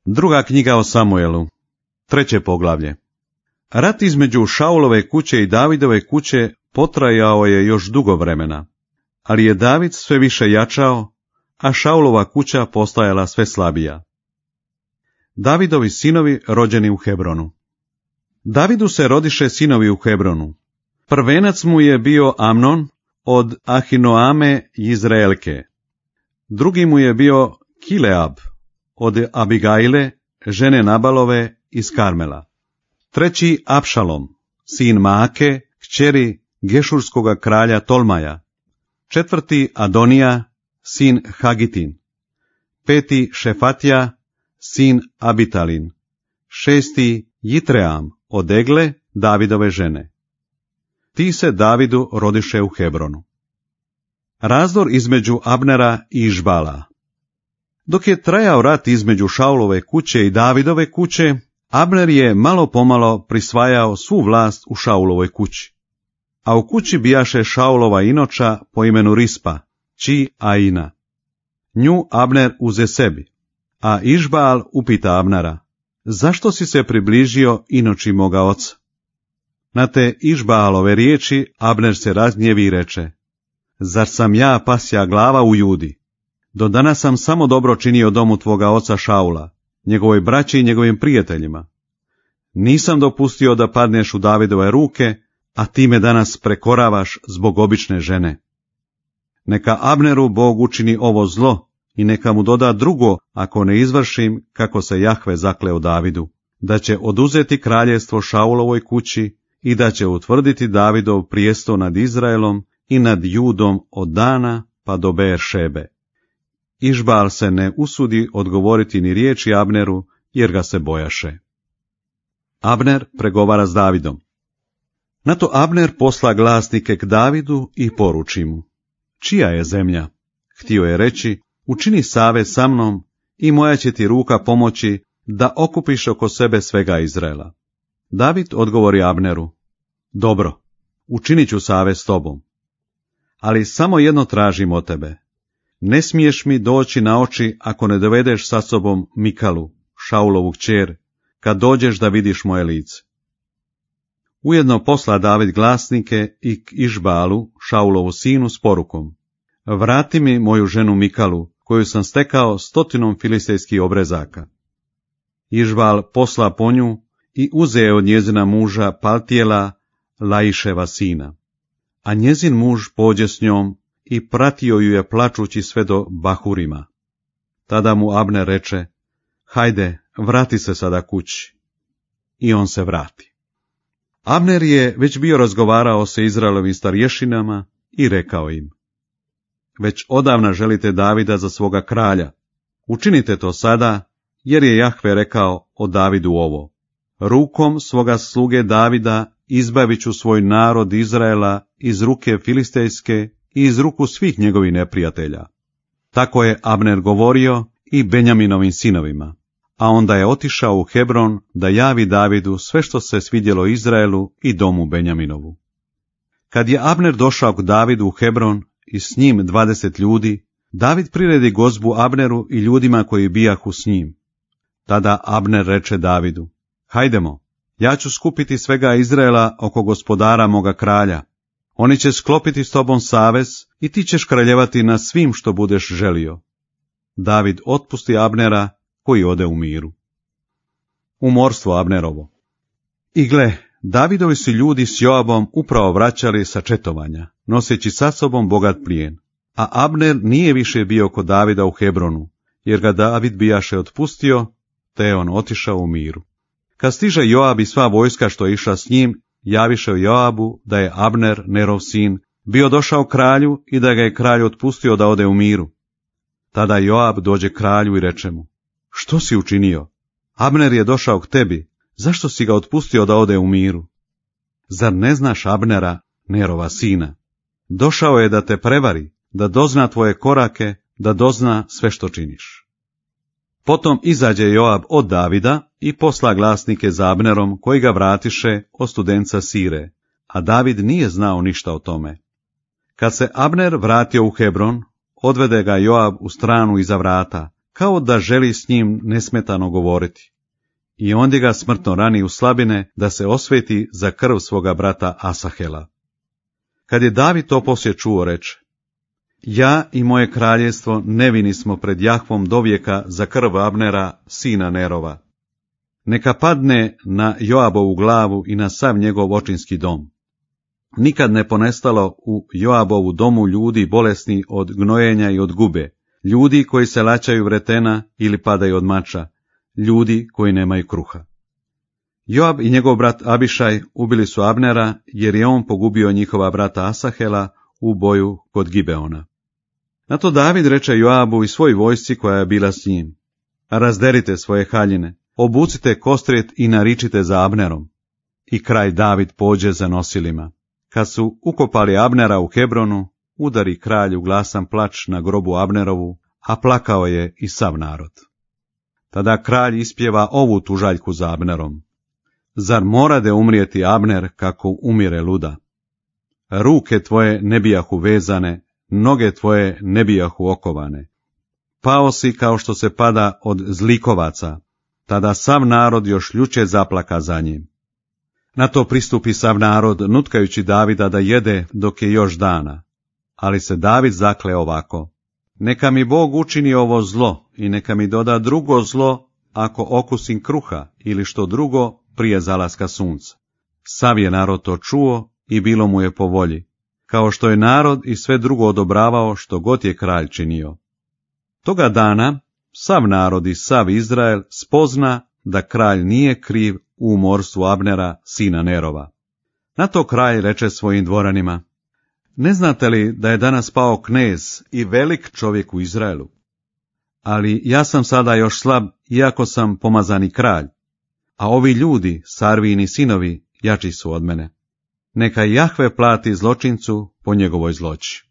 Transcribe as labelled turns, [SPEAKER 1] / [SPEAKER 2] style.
[SPEAKER 1] Druga knjiga o Samuelu, 3. poglavlje. Rat između Šaulove kuće i Davidove kuće potrajao je još dugo vremena, ali je David sve više jačao, a Šaulova kuća postajala sve slabija. Davidovi sinovi rođeni u Hebronu. Davidu se rodiše sinovi u Hebronu. Prvenac mu je bio Amnon od Ahinoame Izraelke. Drugi mu je bio Kileab od Abigajle, žene Nabalove iz Karmela. Treći Apšalom, sin Maake, kćeri Gešurskoga kralja Tolmaja. Četvrti Adonija, sin Hagitin. Peti Šefatija, sin Abitalin. Šesti Jitream od Egle, Davidove žene. Ti se Davidu rodiše u Hebronu. Razdor između Abnera i Išbala. Dok je trajao rat između Šaulove kuće i Davidove kuće, Abner je malo pomalo prisvajao svu vlast u Šaulovoj kući. A u kući bijaše Šaulova inoča po imenu Rispa, či Aina. Nju Abner uze sebi, a Išbal upita Abnera: zašto si se približio inoči moga oca? Na te Išbalove riječi Abner se razgnjevi i reče: zar sam ja pasja glava u Judi? Do danas sam samo dobro činio domu tvoga oca Šaula, njegovoj braći i njegovim prijateljima. Nisam dopustio da padneš u Davidove ruke, a ti me danas prekoravaš zbog obične žene. Neka Abneru Bog učini ovo zlo i neka mu doda drugo ako ne izvršim kako se Jahve zakleo Davidu, da će oduzeti kraljevstvo Šaulovoj kući i da će utvrditi Davidov prijesto nad Izraelom i nad Judom od Dana pa do Beeršebe. Išbal se ne usudi odgovoriti ni riječi Abneru, jer ga se bojaše. Abner pregovara s Davidom. Na to Abner posla glasnike k Davidu i poruči mu: čija je zemlja? Htio je reći: učini savez sa mnom i moja će ti ruka pomoći da okupiš oko sebe svega Izraela. David odgovori Abneru: dobro, učinit ću savez s tobom. Ali samo jedno tražim od tebe. Ne smiješ mi doći na oči ako ne dovedeš sa sobom Mikalu, Šaulovu kćer, kad dođeš da vidiš moje lice. Ujedno posla David glasnike i k Išbalu, Šaulovu sinu, s porukom: vrati mi moju ženu Mikalu, koju sam stekao 100 filistejskih obrezaka. Išbal posla po nju i uzeo od njezina muža Paltijela, Laiševa sina. A njezin muž pođe s njom i pratio ju je plačući sve do Bahurima. Tada mu Abner reče: hajde, vrati se sada kući. I on se vrati. Abner je već bio razgovarao sa Izraelovim starješinama i rekao im: već odavna želite Davida za svoga kralja. Učinite to sada, jer je Jahve rekao o Davidu ovo: rukom svoga sluge Davida izbavit ću svoj narod Izraela iz ruke filistejske i iz ruku svih njegovih neprijatelja. Tako je Abner govorio i Benjaminovim sinovima, a onda je otišao u Hebron da javi Davidu sve što se svidjelo Izraelu i domu Benjaminovu. Kad je Abner došao k Davidu u Hebron i s njim 20 ljudi, David priredi gozbu Abneru i ljudima koji bijahu s njim. Tada Abner reče Davidu: hajdemo, ja ću skupiti svega Izraela oko gospodara moga kralja. Oni će sklopiti s tobom savez i ti ćeš kraljevati na svim što budeš želio. David otpusti Abnera, koji ode u miru. Umorstvo Abnerovo. I gle, Davidovi su ljudi s Joabom upravo vraćali sa četovanja, noseći sa sobom bogat plijen, a Abner nije više bio kod Davida u Hebronu, jer ga David bijaše otpustio, te je on otišao u miru. Kad stiže Joab i sva vojska što je išla s njim, javiše Joabu da je Abner, Nerov sin, bio došao kralju i da ga je kralj otpustio da ode u miru. Tada Joab dođe kralju i reče mu: što si učinio? Abner je došao k tebi, zašto si ga otpustio da ode u miru? Zar ne znaš Abnera, Nerova sina? Došao je da te prevari, da dozna tvoje korake, da dozna sve što činiš. Potom izađe Joab od Davida i posla glasnike za Abnerom, koji ga vratiše od studenca Sire, a David nije znao ništa o tome. Kad se Abner vratio u Hebron, odvede ga Joab u stranu iza vrata, kao da želi s njim nesmetano govoriti. I ondje ga smrtno rani u slabine da se osveti za krv svoga brata Asahela. Kad je David to poslije čuo, reče: ja i moje kraljevstvo nevini smo pred Jahvom dovijeka za krv Abnera, sina Nerova. Neka padne na Joabovu glavu i na sav njegov očinski dom. Nikad ne ponestalo u Joabovu domu ljudi bolesni od gnojenja i od gube, ljudi koji se laćaju vretena ili padaju od mača, ljudi koji nemaju kruha. Joab i njegov brat Abišaj ubili su Abnera, jer je on pogubio njihova brata Asahela u boju kod Gibeona. Na to David reče Joabu i svoj vojsci koja je bila s njim: razderite svoje haljine, obucite kostrijet i naričite za Abnerom. I kralj David pođe za nosilima. Kad su ukopali Abnera u Hebronu, udari kralju glasan plač na grobu Abnerovu, a plakao je i sav narod. Tada kralj ispjeva ovu tužaljku za Abnerom: zar morade umrijeti Abner kako umire luda? Ruke tvoje ne bijahu vezane, noge tvoje ne bijahu okovane. Pao si kao što se pada od zlikovaca, tada sav narod još ljuče zaplaka za njim. Na to pristupi sav narod, nutkajući Davida da jede dok je još dana. Ali se David zakle ovako: neka mi Bog učini ovo zlo i neka mi doda drugo zlo ako okusim kruha ili što drugo prije zalaska sunca. Sav je narod to čuo i bilo mu je po volji, kao što je narod i sve drugo odobravao što god je kralj činio. Toga dana sav narod i sav Izrael spozna da kralj nije kriv u umorstvu Abnera, sina Nerova. Na to kralj reče svojim dvoranima: ne znate li da je danas pao knez i velik čovjek u Izraelu? Ali ja sam sada još slab, iako sam pomazani kralj, a ovi ljudi, Sarvini sinovi, jači su od mene. Neka Jahve plati zločincu po njegovoj zloći.